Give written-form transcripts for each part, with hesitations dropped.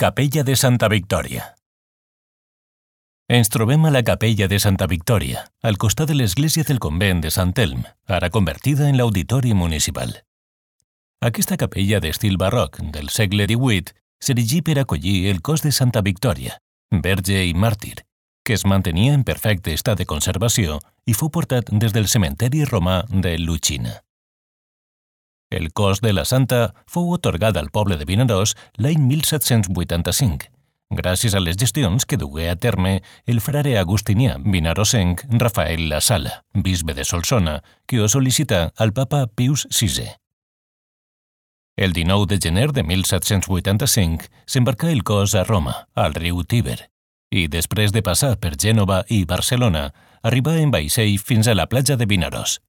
Capella de Santa Victòria. Ens trobem a la Capella de Santa Victòria, al costat de l'església del convent de Sant Elm, ara convertida en l'auditori municipal. Aquesta capella d'estil barroc del segle XVIII s'erigí per acollir el cos de Santa Victòria, verge i màrtir, que es mantenia en perfecte estat de conservació i fou portat des del cementeri romà de Lucina. El cos de la santa fou atorgat al poble de Vinaròs l'any 1785, gràcies a les gestions que dugué a terme el frare agustinià vinarosenc Rafael La Sala, bisbe de Solsona, que ho sol·licità al papa Pius VI. El 19 de gener de 1785 s'embarcà el cos a Roma, al riu Tíber, i després de passar per Gènova i Barcelona, arribà en vaixell fins a la platja de Vinaròs.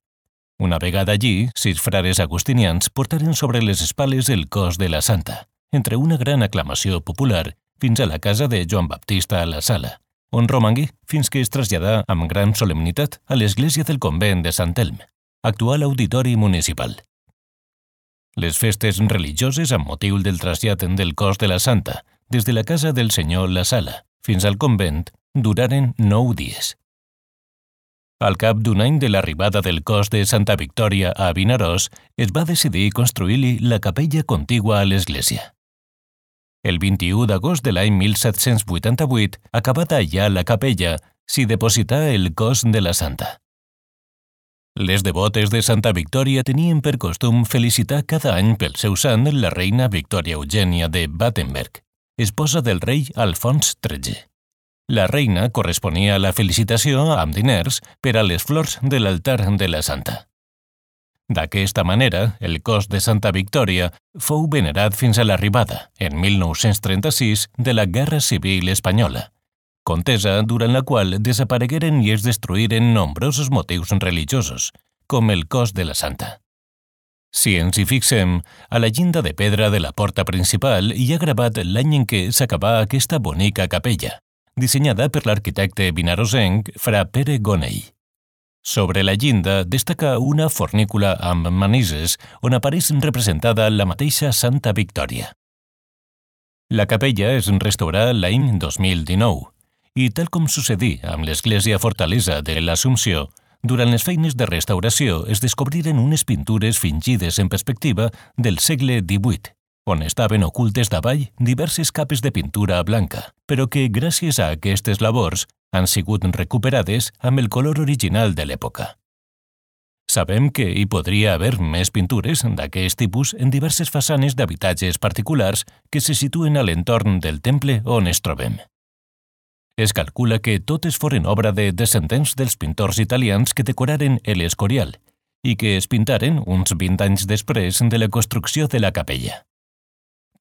Una vegada allí, 6 frares agustinians portaren sobre les espales el cos de la santa, entre una gran aclamació popular, fins a la casa de Joan Baptista a la Sala, on romangué fins que es traslladà amb gran solemnitat a l'església del convent de Sant Elm, actual auditori municipal. Les festes religioses amb motiu del trasllat del cos de la santa des de la casa del senyor La Sala fins al convent duraren 9 dies. Al cap d'un any de l'arribada del cos de Santa Victòria a Vinaròs, es va decidir construir-li la capella contigua a l'església. El 21 d'agost de l'any 1788, acabada ja la capella, s'hi deposità el cos de la santa. Les devotes de Santa Victòria tenien per costum felicitar cada any pel seu sant la reina Victòria Eugènia de Battenberg, esposa del rei Alfons XIII. La reina corresponia a la felicitació amb diners per a les flors de l'altar de la santa. D'aquesta manera, el cos de Santa Victòria fou venerat fins a l'arribada, en 1936, de la Guerra Civil Espanyola, contesa durant la qual desaparegueren i es destruïren nombrosos motius religiosos, com el cos de la santa. Si ens hi fixem, a la llinda de pedra de la porta principal hi ha gravat l'any en què s'acabà aquesta bonica capella, dissenyada per l'arquitecte vinarosenc Fra Pere Gonell. Sobre la llinda destaca una fornícula amb manises on apareix representada la mateixa Santa Victòria. La capella es restaurà l'any 2019 i, tal com sucedí amb l'església fortalesa de l'Assumpció, durant les feines de restauració es descobriren unes pintures fingides en perspectiva del segle XVIII, on estaven ocultes davall diverses capes de pintura blanca, però que, gràcies a aquestes labors, han sigut recuperades amb el color original de l'època. Sabem que hi podria haver més pintures d'aquest tipus en diverses façanes d'habitatges particulars que se situen a l'entorn del temple on es trobem. Es calcula que totes foren obra de descendents dels pintors italians que decoraren l'Escorial i que es pintaren uns 20 anys després de la construcció de la capella.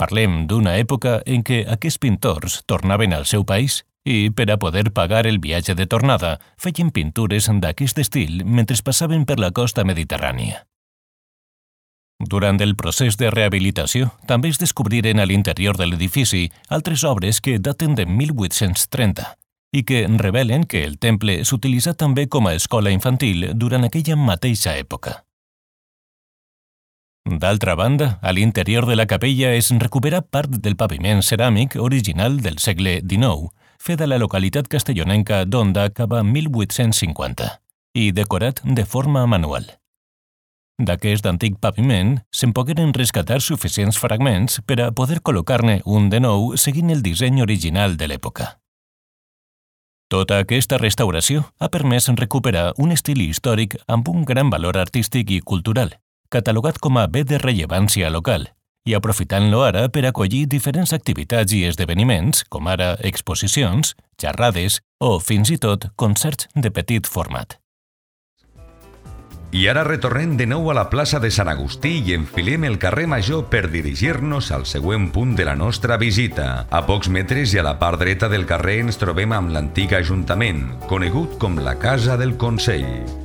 Parlem d'una època en què aquests pintors tornaven al seu país i, per a poder pagar el viatge de tornada, feien pintures d'aquest estil mentre passaven per la costa mediterrània. Durant el procés de rehabilitació, també es descobriren a l'interior de l'edifici altres obres que daten de 1830 i que revelen que el temple s'utilitzà també com a escola infantil durant aquella mateixa època. D'altra banda, a l'interior de la capella es recupera part del paviment ceràmic original del segle XIX, fet a la localitat castellonenca d'Onda cap a 1850 i decorat de forma manual. D'aquest antic paviment se'n pogueren rescatar suficients fragments per a poder col·locar-ne un de nou seguint el disseny original de l'època. Tota aquesta restauració ha permès recuperar un estil històric amb un gran valor artístic i cultural, catalogat com a bé de rellevància local, i aprofitant-lo ara per acollir diferents activitats i esdeveniments, com ara exposicions, xerrades o, fins i tot, concerts de petit format. I ara retornem de nou a la plaça de Sant Agustí i enfilem el carrer Major per dirigir-nos al següent punt de la nostra visita. A pocs metres i a la part dreta del carrer ens trobem amb l'antic Ajuntament, conegut com la Casa del Consell.